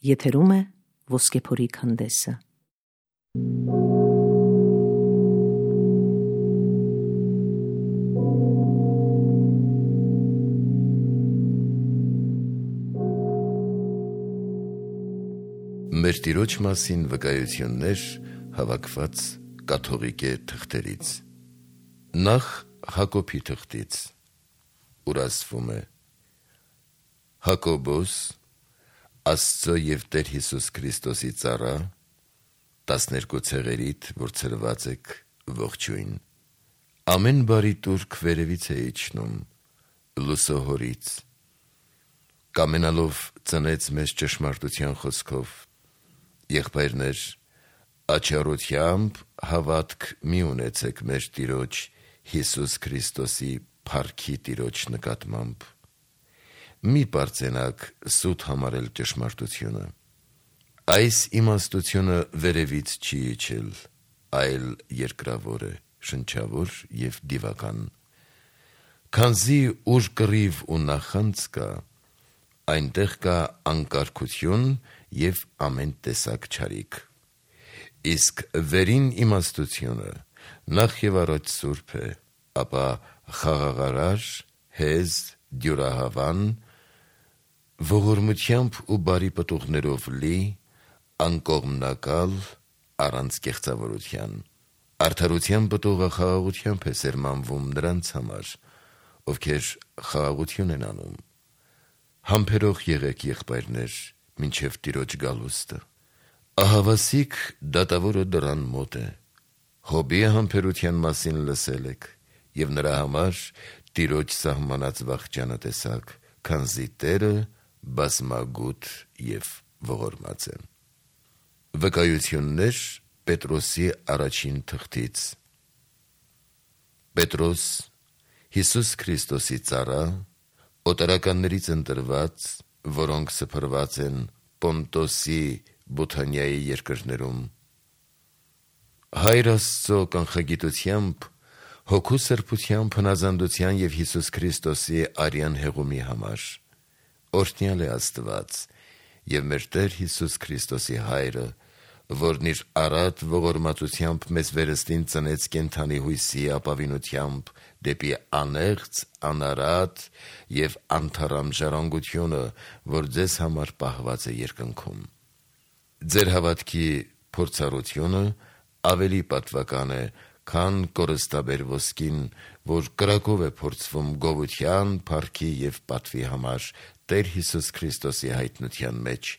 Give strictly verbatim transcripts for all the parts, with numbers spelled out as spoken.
Եթերում է Ոսկեփորի քանդեսը։ Մեր Տիրոջ մասին վկայություններ հավաքված կաթողիկե թղթերից։ Նախ Հակոբի թղթից, ուր ասվում է. Հակոբոս, Աստծո և Տեր Հիսուս Քրիստոսի ծառա, տասներկու ցեղերիդ, որ ցրված եք, ողջույն։ Ամեն բարի տուրք վերևից է իջնում, լուսո Հորից, կամենալով ծնեց մեզ ճշմարտության խոսքով։ Եղբայրներ, աչառությամբ հավատք մի ունեցեք մեր Տիրոջ Հիսուս Քրիստոսի փառքի Տիրոջ նկատմամբ։ Մի պարծենաք սուտ համարել ճշմարտությունը։ Այս իմաստությունը վերևից չի իջել, այլ երկրավոր է, շնչավոր և դիվական։ Քանզի ուր կռիվ ու նախանձ կա, այնտեղ կա անկարգություն և ամեն տեսակ չարիք։ Իսկ վերին իմաստությունը նախ և առաջ սուրբ է, ապա խաղաղարար, հեզ, դյուրահավան, ողորմությամբ ու բարի պտուղներով լի, անկողմնակալ, առանց կեղծավորության։ Արդարության պտուղը խաղաղությամբ է սերմանվում նրանց համար, ովքեր խաղաղություն են անում։ Համբերող եղեք, եղբայրներ, մինչև Տիրոջ գալուստը։ Ահավասիկ դատավորը դռան մոտ է։ Հոբի համբերության մասին լսել եք, և նրա համար Տիրոջ սահմանած վախճանը տեսաք, քանզի Տերը բազմագութ և ողորմած է։ Վկայություններ Պետրոսի առաջին թղթից։ Պետրոս, Հիսուս Քրիստոսի ծառա, օտարականներից ընտրված, որոնք սփռված են Պոնտոսի, Բութանիայի երկրներում, Հայր Աստծո կանխագիտությամբ, Հոգու սրբությամբ, հնազանդության և Հիսուս Քրիստոսի արյան հեղումի համար, օրհնյալ է Աստված և մեր Տեր Հիսուս Քրիստոսի Հայրը, որն իր առատ ողորմածությամբ մեզ վերստին ծնեց կենդանի հույսի ապավինությամբ դեպի անեղծ, անարատ և անթառամ ժառանգությունը, որ ձեզ համար պահված է երկնքում։ Ձեր հավատքի փորձառությունը ավելի պատվական է, քան կորստաբեր ոսկին, որ կրակով է փորձվում գովության, փառքի և պատվի համար Տեր Հիսուս Քրիստոսի հայտնության մեջ,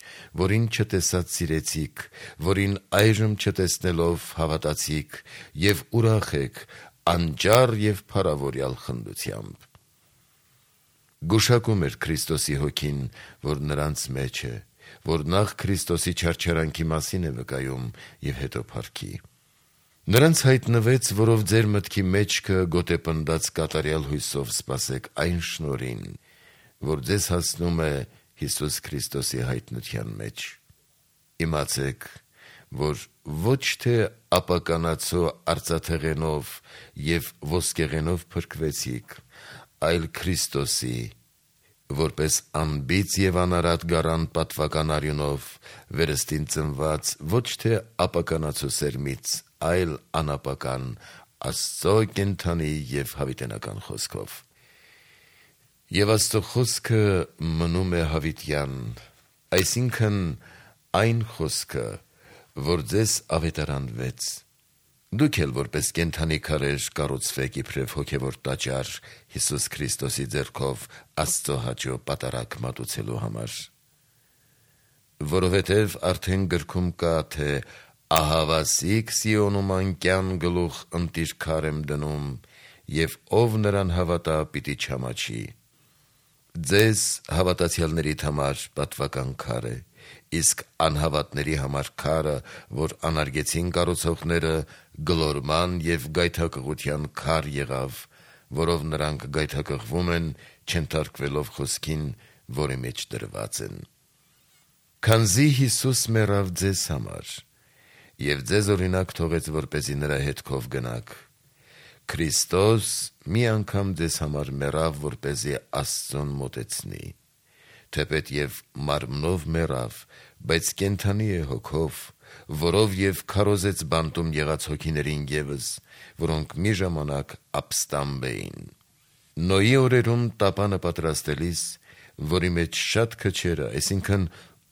որին չտեսած սիրեցիք, որին այժմ չտեսնելով հավատացիք, և ուրախ եք անճառ և փառավորյալ խնդությամբ։ Գուշակում էր Քրիստոսի հոգին, որ նրանց մեջ է, որ նախ Քրիստոսի չարչարանքի մասին է վկայում և հետո փառքի։ Նրանց հայտնվեց, որով ձեր մտքի մեջքը գոտեպնդած կատարյալ հույսով սպասեք այն շնորհին, որ ձեզ հասնում է Հիսուս Քրիստոսի հայտնության մեջ։ Իմացեք, որ ոչ թե ապականացու արծաթեղենով և ոսկեղենով փրկվեցիք, այլ Քրիստոսի, որպես անբիծ և անարատ գառան պատվական արյունով, վերստին ծնված ոչ թե ապականացու սերմից, այլ անապական Աստծո կենդանի և հավիտենական խոսքով։ Եվ Աստծո խոսքը մնում է հավիտյան, այսինքն այն խոսքը, որ ձեզ ավետարանվեց։ Դուք էլ որպես կենդանի քարեր կառուցվեք իբրև հոգևոր տաճար Հիսուս Քրիստոսի ձեռքով Աստծո հաճո պատարագ մատուցելու համար։ Որովհետև արդեն գրքում կա, թե ահավասիկ Սիոնում անկյան գլուխ ընտիր քար եմ դնում, և ով նրան հավատա, պիտի չամաչի։ Ձեզ հավատացյալներիդ համար պատվական քար է, իսկ անհավատների համար քարը, որ անարգեցին կառուցողները, գլորման և գայթակղության քար եղավ, որով նրանք գայթակղվում են, չենթարկվելով խոսքին, որի մեջ դրված են։ Քանզի Հիսուս մեռավ ձեզ համար, և ձեզ օրինակ թողեց, որպեսզի նրա հետքով գնաք, Քրիստոս մի անգամ ձեզ համար մեռավ, որպեսզի Աստծուն մոտեցնի, թեպետ եւ մարմնով մեռավ, բայց կենդանի է հոգով, որով եւ քարոզեց բանտում եղած հոգիներին եւս, որոնք մի ժամանակ ապստամբ էին։ Նոյի օրերում տապանը պատրաստելիս, որի մեջ շատ քչերը, այսինքն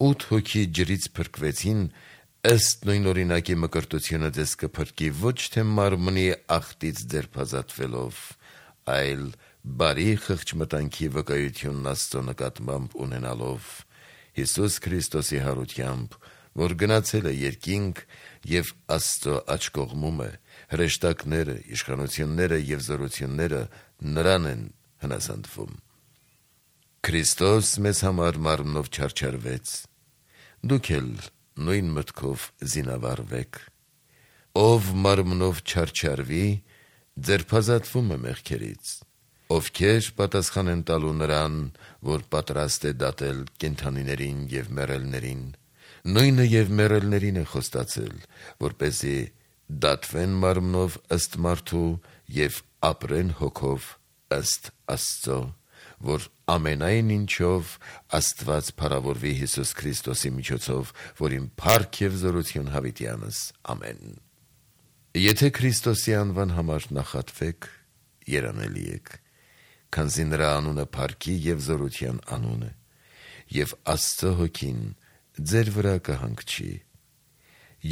ութ հոգի ջրից փրկվեցին, ըստ նույն օրինակի մկրտությունը ձեզ կփրկի ոչ թե մարմնի ախտից ձերբազատվելով, այլ բարի խղճմտանքի վկայությունն Աստծո նկատմամբ ունենալով, Հիսուս Քրիստոսի հարությամբ, որ գնացել է երկինք եւ Աստծո աջ կողմում է, հրեշտակները, իշխանությունները եւ զորությունները նրան են հնազանդվում։ Քրիստոս մեզ համար մարմնով չարչարվեց, դուք էլ նույն մտքով զինավարվեք։ Ով մարմնով չարչարվի, ձերբազատվում է մեղքերից, ովքեր պատասխան են տալու նրան, որ պատրաստ է դատել կենդանիներին եւ մեռելներին, նույնը եւ մեռելներին է խոստացել, որպեսզի դատվեն մարմնով ըստ մարդու եւ ապրեն հոգով ըստ Աստծո, որ ամենայն ինչով Աստված փառավորվի Հիսուս Քրիստոսի միջոցով, որին փառք եւ զորություն հավիտյանս, ամեն։ Եթե Քրիստոսի անվան համար նախատվեք, երանելի եք, քանզի նրա անունը փառքի եւ զորության անուն է, եւ Աստծո հոգին ձեր վրա կհանգչի։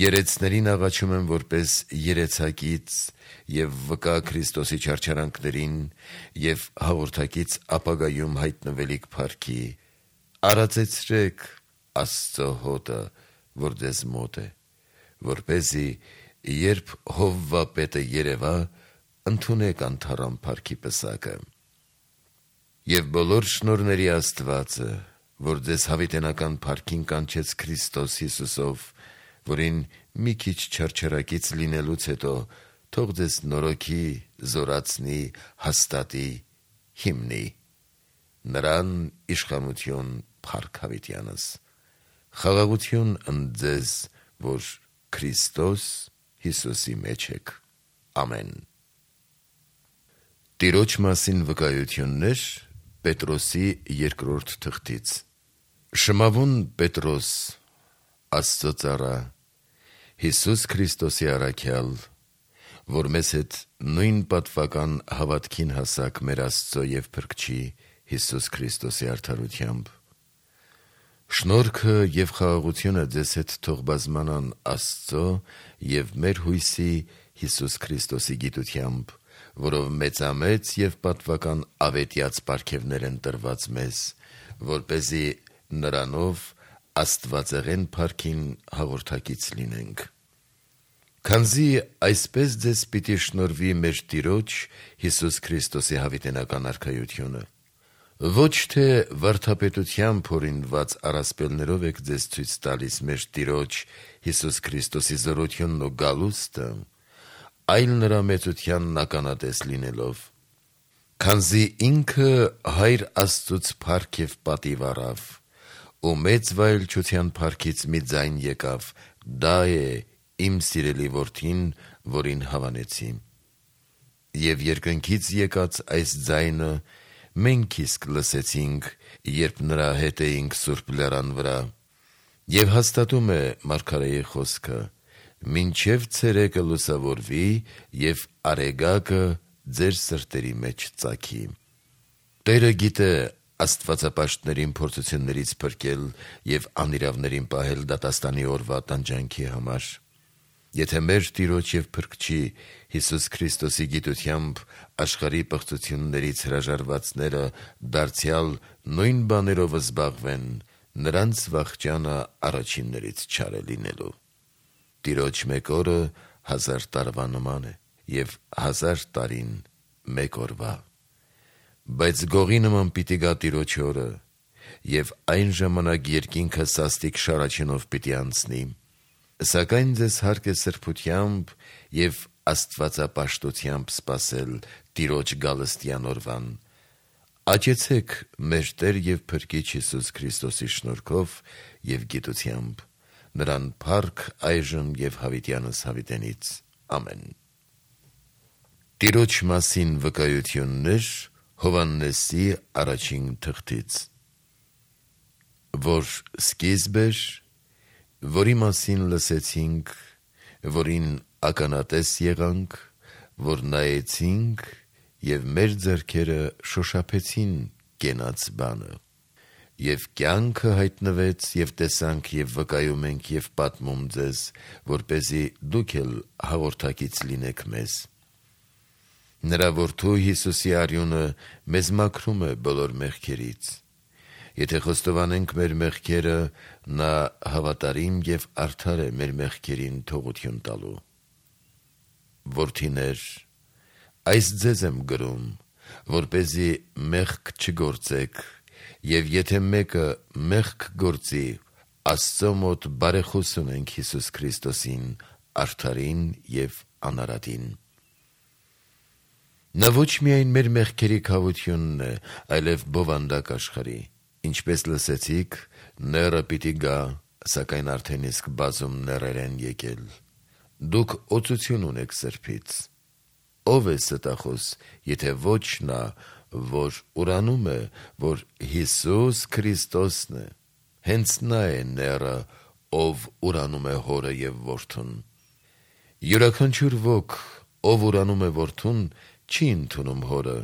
Երեցներին աղաչում եմ որպես երեցակից եւ վկա Քրիստոսի չարչարանքներին եւ հաղորդակից ապագայում հայտնվելիք փառքի, արածեցրեք Աստծո հոտը, որ ձեզ մոտ է, որպեսզի երբ Հովվապետը երևա, ընդունեք անթառամ փառքի պսակը։ Եվ բոլոր շնորհների Աստվածը, որ ձեզ հավիտենական փառքին կանչեց Քրիստոս Հիսուսով, որին մի քիչ չարչարակից լինելուց հետո թող ձեզ նորոգի, զորացնի, հաստատի, հիմնի։ Նրան իշխանություն փառք հավիտյանս։ Խաղաղություն ընդ ձեզ, որ Քրիստոս Հիսուսի մեջ եք։ Ամեն։ Տիրոջ մասին վկայություններ Պետրոսի երկրորդ թղթից։ Շմավուն Պետրոս, Աստծո ծառա, Հիսուս Քրիստոսի առաքյալ, որ մեզ հետ նույն պատվական հավատքին հասակ մեր Աստծո եւ Փրկչի Հիսուս Քրիստոսի արդարությամբ։ Շնորհքը եւ խաղաղությունը ձեզ հետ թող բազմանան Աստծո եւ մեր հույսի Հիսուս Քրիստոսի գիտությամբ, որով մեծամեծ եւ պատվական ավետյաց պարգևներ են տրված մեզ, որպեսզի նրանով Աստվածեղեն փառքին հաղորդակից լինենք։ Քանզի այսպես ձեզ պիտի շնորհվի մեր Տիրոջ Հիսուս Քրիստոսի հավիտենական արքայությունը, ոչ թե վարդապետությամբ օրինված առասպելներով եք ձեզ ցույց տալիս մեր Տիրոջ Հիսուս Քրիստոսի զորությունն ու գալուստը, այլ նրա մեծությանն ականատես լինելով, քանզի ինքը Հայր Աստծուց փառք եւ պատիվ առավ, ու մեծ վայելչության փառքից մի ձայն եկավ, դա է իմ սիրելի որդին, որին հավանեցի։ Եվ երկնքից եկած այս ձայնը մենք իսկ լսեցինք, երբ նրա հետ էինք Սուրբ լեռան վրա, եւ հաստատում է մարգարեի խոսքը, մինչև ցերեկը լուսավորվի եւ արեգակը ձեր սրտերի մեջ ծագի։ Տերը գիտե աստվածապաշտներին փորձություններից փրկել եւ անիրավներին պահել դատաստանի օրվա տանջանքի համար։ Եթե մեր Տիրոջ եւ Փրկչի Հիսուս Քրիստոսի գիտությամբ աշխարհի պղծություններից հրաժարվածները դարձյալ նույն բաներով զբաղվեն, նրանց վախճանը առաջիններից չար է լինելու։ Տիրոջ մեկ օրը հազար տարվա նման է, եւ հազար տարին մեկ օրվա։ Բայց գողի նման պիտի գա Տիրոջ օրը, եւ այն ժամանակ երկինքը սաստիկ շարաչենով պիտի անցնի, սակայն ձեզ հարկ է սրբությամբ եւ աստվածապաշտությամբ սպասել Տիրոջ գալստյան օրվան։ Աճեցեք մեր Տեր եւ Փրկիչ Հիսուս Քրիստոսի շնորհքով եւ գիտությամբ, նրան փառք այժմ եւ հավիտյանս հավիտենից։ Ամեն։ Տիրոջ մասին վկայություններ Հովհաննեսի առաջին թղթից։ որ սկիզբ էր, որի մասին լսեցինք, որին ականատես եղանք, որ նայեցինք և մեր ձեռքերը շոշափեցին կենաց բանը, և կյանքը հայտնվեց և տեսանք և վկայում ենք և պատմում ձեզ, որպեսզի դուք էլ հաղորդակից լինեք մեզ։ Նրա որդու Հիսուսի արյունը մեզ մաքրում է բոլոր մեղքերից։ Եթե խոստովանենք մեր մեղքերը, նա հավատարիմ և արդար է մեր մեղքերին թողություն տալու։ Որդիներ, այս ձեզ եմ գրում, որպեսզի մեղք չգործեք, և եթե մեկը մեղք գործի, Աստծո մոտ բարեխոս ունենք Հիսուս Քրիստոսին, արդարին և անարատին։ Նա ոչ միայն մեր մեղքերի քավությունն է, այլև բովանդակ աշխարհի։ Ինչպես լսեցիք, նեռը պիտի գա, սակայն արդեն իսկ բազում նեռեր են եկել։ Դուք օծություն ունեք Սրբից։ Ո՞վ է ստախոս, եթե ոչ նա, որ ուրանում է, որ Հիսուս Քրիստոսն է։ Հենց նա է նեռը, ով ուրանում է Հորը և Որդուն։ Յուրաքանչյուր ոք, ով ուրանում է Որդուն, չի ընդունում Հորը,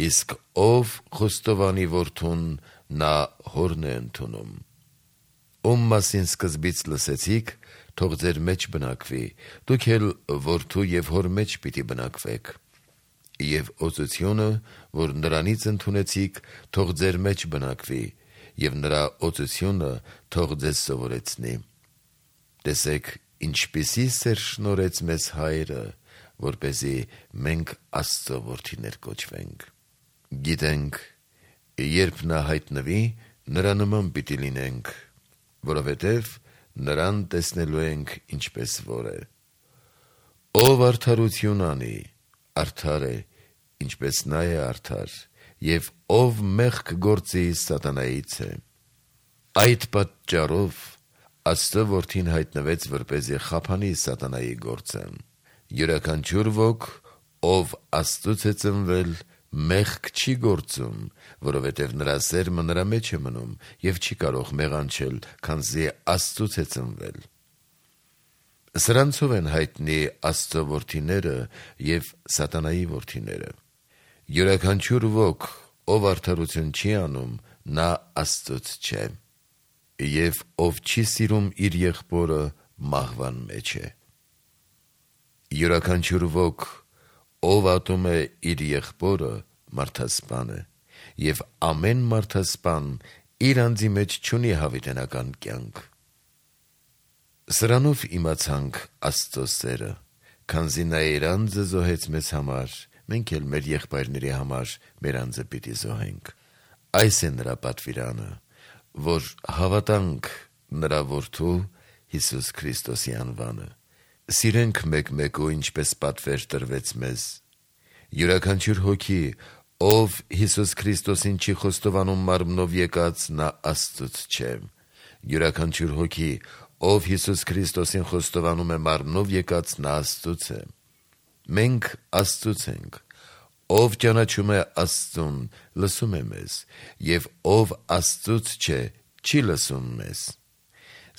իսկ ով խոստովանի Որդուն, նա Հորն է ընդունում։ Ում մասին սկզբից լսեցիք, թող ձեր մեջ բնակվի, դուք էլ Որդու և Հոր մեջ պիտի բնակվեք։ Եվ օծությունը, որ նրանից ընդունեցիք, թող ձեր մեջ բնակվի, և նրա օծությունը թող ձեզ սովորեցնի։ Տեսեք, ինչպիսի սեր շնորհեց մեզ Հայրը, որպեսզի մենք Աստծո որդիներ կոչվենք։ Գիտենք, երբ նա հայտնվի, նրա նման պիտի լինենք, որովհետև նրան տեսնելու ենք ինչպես որ է։ Ով արդարություն անի, արդար է, ինչպես նա է արդար, և ով մեղք գործի, սատանայից է։ Այդ պատճառով Աստծո որդին հայտնվեց, որպեսզի խափանի սատանայի գործը։ Յուրաքանչյուր ոք, ով Աստծուց է ծնվել, մեղք չի գործում, որովհետև նրա սերմը նրա մեջ է մնում և չի կարող մեղանչել, քանզի Աստծուց է ծնվել։ Սրանցով են հայտնի Աստծո որդիները և սատանայի որդիները։ Յուրաքանչյուր ոք, ով արդարություն չի անում, նա Աստծուց չէ, և ով չի սիրում իր եղբորը, մահվան մեջ է։ Յուրաքանչյուր ոք, ով ատում է իր եղբորը, մարդասպան է, և ամեն մարդասպան իր անձի մեջ չունի հավիտենական կյանք։ Սրանով իմացանք Աստծո սերը, քանզի նա իր անձը զոհեց մեզ համար, մենք էլ մեր եղբայրների համար մեր անձը պիտի զոհենք։ Այս է նրա պատվիրանը, որ հավատանք նրա որդու Հիսուս Քրիստոսի անվանը։ Սիրենք մեկ-մեկու, ինչպես պատվեր տրվեց մեզ։ Յուրաքանչյուր հոգի, ով Հիսուս Քրիստոսին չի խոստովանում մարմնով եկած, նա Աստծուց չէ։ Յուրաքանչյուր հոգի, ով Հիսուս Քրիստոսին խոստովանում է մարմնով եկած, նա Աստծուց է։ Մենք Աստծուց ենք։ Ով ճանաչում է Աստծուն, լսում է մեզ, և ով Աստծուց չէ, չի լսում մեզ։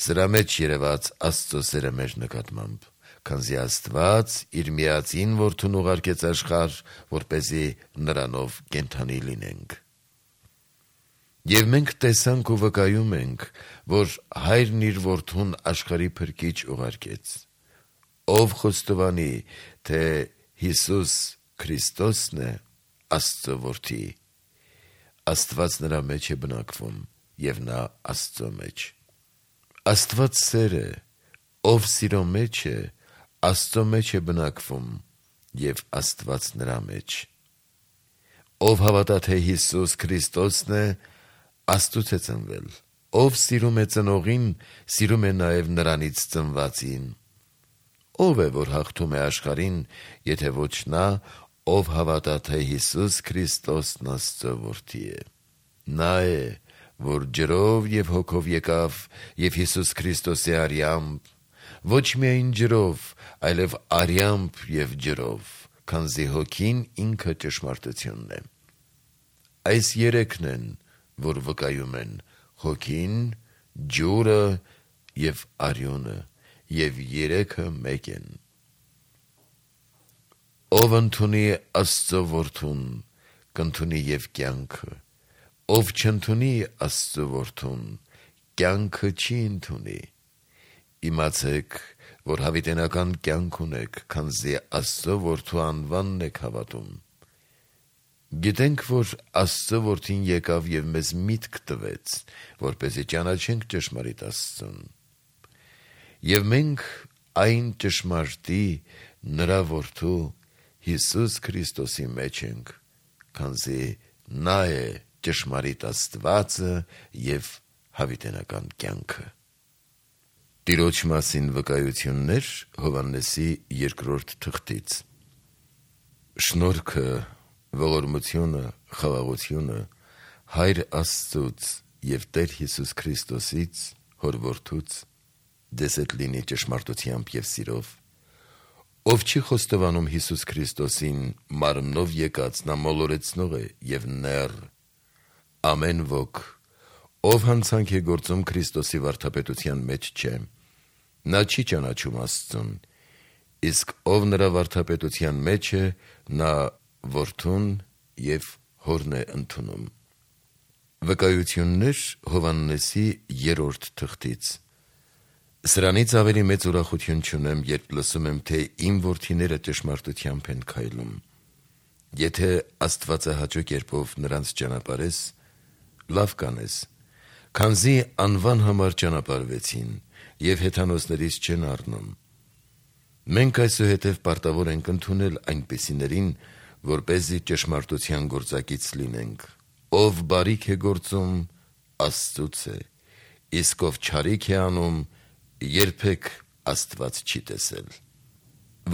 Սրա մեջ երևաց Աստծո սերը մեր նկատմամբ, քանզի Աստված իր միածին Որդուն ուղարկեց աշխարհ, որպեսզի նրանով կենդանի լինենք։ Եվ մենք տեսանք ու վկայում ենք, որ Հայրն իր Որդուն աշխարհի փրկիչ ուղարկեց։ Ով խոստովանի, թե Հիսուս Քրիստոսն է, Աստծո Որդի, Աստված նրա մեջ է բնակվում, և նա Աստծո մեջ։ Աստված սեր է, ով սիրո մեջ է, Աստծո մեջ է բնակվում, և Աստված նրա մեջ։ Ով հավատա, թե Հիսուս Քրիստոսն է, Աստծուց է ծնվել։ Ով սիրում է ծնողին, սիրում է նաև նրանից ծնվածին։ Ո՞վ է, որ հաղթում է աշխարհին, եթե ոչ նա, ով հավատա, թե Հիսուս Քրիստոսն Աստծո Որդի է։ Նա է, որ ջրով և հոգով եկավ, և Հիսուս Քրիստոսի արյամբ, ոչ միայն ջրով, այլև արյամբ և ջրով, քանզի հոգին ինքը ճշմարտությունն է։ Այս երեքն են, որ վկայում են հոգին, ջուրը եւ արյունը, եւ երեքը մեկ են։ Ով ընդունի Աստծո որդուն, կընդունի եւ կյանքը, ով չընդունի Աստծո որդուն, կյանքը չի ընդունի։ Իմացեք, որ հավիտենական կյանք ունեք, քանզի Աստծո որդու անվանն եք հավատում։ Գիտենք, որ Աստծո որդին եկավ եւ մեզ միտք տվեց, որպեսզի ճանաչենք ճշմարիտ Աստծուն։ Եվ մենք այն ճշմարտի նրա որդու Հիսուս Քրիստոսի մեջ ենք, քանզի նա է ճշմարիտ Աստվածը եւ հավիտենական կյանքը։ Տիրոջ մասին վկայություններ Հովհաննեսի երկրորդ թղթից։ Շնորհքը, ողորմությունը, խաղաղությունը Հայր Աստծուց եւ Տեր Հիսուս Քրիստոսից, Հոր որդուց, ձեզ հետ լինի ճշմարտությամբ եւ սիրով, ով չի խոստովանում Հիսուս Քրիստոսին մարմնով եկած, նա մոլորեցնող է եւ նեռ, ամեն ոք, ով հանցանք է գործում Քրիստոսի վարդապետության մեջ չէ, նա չի ճանաչում Աստծուն, իսկ ով նրա վարդապետության մեջ է, նա որդուն եւ հորն է ընդունում։ Վկայություններ Հովհաննեսի երրորդ թղթից։ Սրանից ավելի մեծ ուրախություն չունեմ, երբ լսում եմ, թե իմ որդիները ճշմարտությամբ են քայլում։ Եթե աստվածահաճո կերպով նրանց ճանապարհես, լավ կանես, քանզի անվան համար ճանապարհվեցին եւ հեթանոսներից չեն առնում։ Մենք այսուհետև պարտավոր ենք ընդունել այնպիսիներին, որպեսզի ճշմարտության գործակից լինենք։ Ով բարիք է գործում, Աստծուց է, իսկ ով չարիք է անում, երբեք Աստված չի տեսել։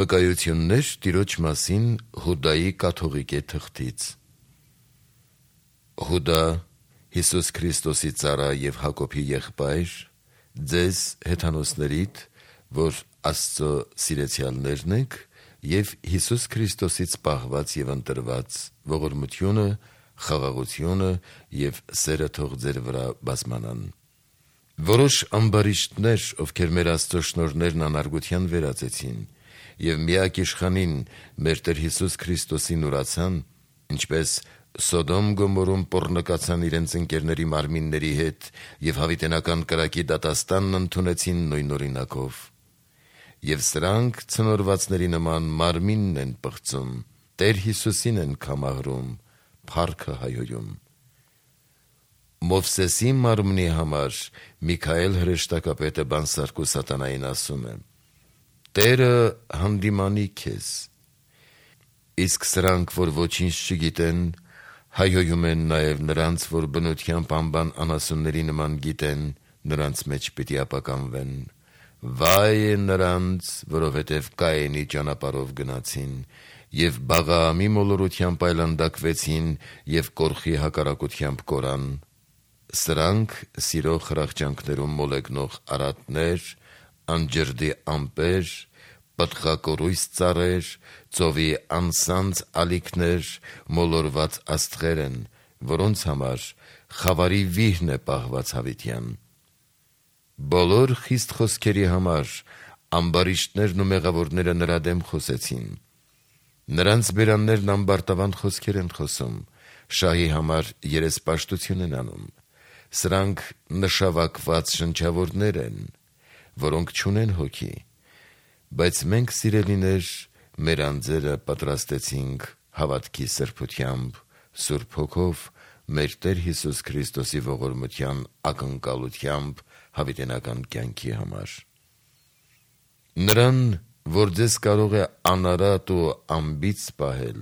Վկայություններ Տիրոջ մասին Հուդայի կաթողիկե թղթից։ Հուդա, Հիսուս Քրիստոսի ծառա եւ Հակոբի եղբայր, ձեզ հեթանոսներիդ, որ Աստծո սիրեցյալներն եք, եւ Հիսուս Քրիստոսից պահված եւ ընտրված, ողորմությունը, խաղաղությունը եւ սերը թող ձեր վրա բազմանան։ Որոշ ամբարիշտներ, ովքեր մեր Աստծո շնորհներն անարգության վերածեցին եւ միակ իշխանին մեր Տեր Հիսուս Քրիստոսին ուրացան, ինչպես Սոդոմ Գոմորում պոռնկացան իրենց ընկերների մարմինների հետ եւ հավիտենական կրակի դատաստանն ընդունեցին նույն օրինակով։ Եվ սրանք ցնորվածների նման մարմինն են պղծում, Տեր Հիսուսին են կամահրում, փառքը հայոյում։ Մովսեսի մարմնի համար Միքայել հրեշտակապետը բանսարկու սատանային ասում է. Տերը հանդիմանի քեզ, իսկ սրանք, որ ոչինչ չգիտեն, հայոյում են նաև նրանց, որ բնությամբ անբան անասունների նման գիտեն, նրանց մեջ պիտի ապականվեն։ Վայ է նրանց, որովհետև Կայենի ճանապարհով գնացին, եւ Բաղաամի մոլորությամբ այլանդակվեցին եւ Կորխի հակառակությամբ կորան։ Սրանք սիրո խրախճանքներում մոլեգնող արատներ, անջրդի ամպեր, պտղակորույս ծառեր, ծովի անսանձ ալիքներ, մոլորված աստղեր են, որոնց համար խավարի վիհն է պահված հավիտյան։ Բոլոր խիստ խոսքերի համար ամբարիշտներն ու մեղավորները նրա դեմ խոսեցին։ Նրանց բերաններն ամբարտավան խոսքեր են խոսում, շահի համար երեսպաշտություն են անում։ Սրանք նշավակված շնչավորներ են, որոնք չունեն հոգի, բայց մենք սիրելիներ մեր անձերը պատրաստեցինք հավատքի սրբությամբ, Սուրբ Հոգով, մեր Տեր Հիսուս Քրիստոսի ողորմության ակնկալությամբ հավիտենական կյանքի համար։ Նրան, որ ձեզ կարող է անարատ ու ամբից պահել,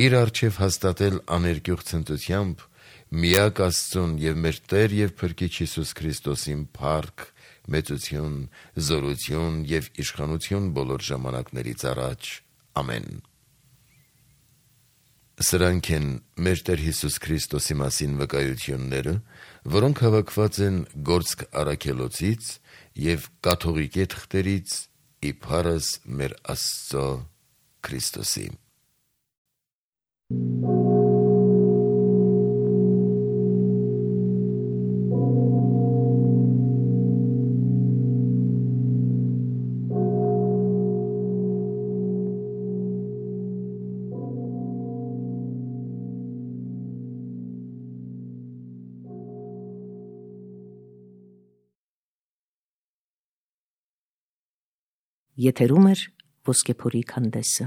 իր առջև հաստատել աներկյուղ ցնծությամբ, միակ Աստծուն եւ մեր Տեր եւ Փրկիչ Հիսուս Քրիստոսին փառք, մեծություն, զորություն եւ իշխանություն բոլոր ժամանակներից առաջ։ Ամեն։ Սրանք են մեր Տեր Հիսուս Քրիստոսի մասին վկայությունները, որոնք հավաքված են Գործք առաքելոցից եւ կաթողիկե թղթերից իբարս մեր Աստծո Քրիստոսի։ Եթերում էր Ոսկեփորի քանդեսը։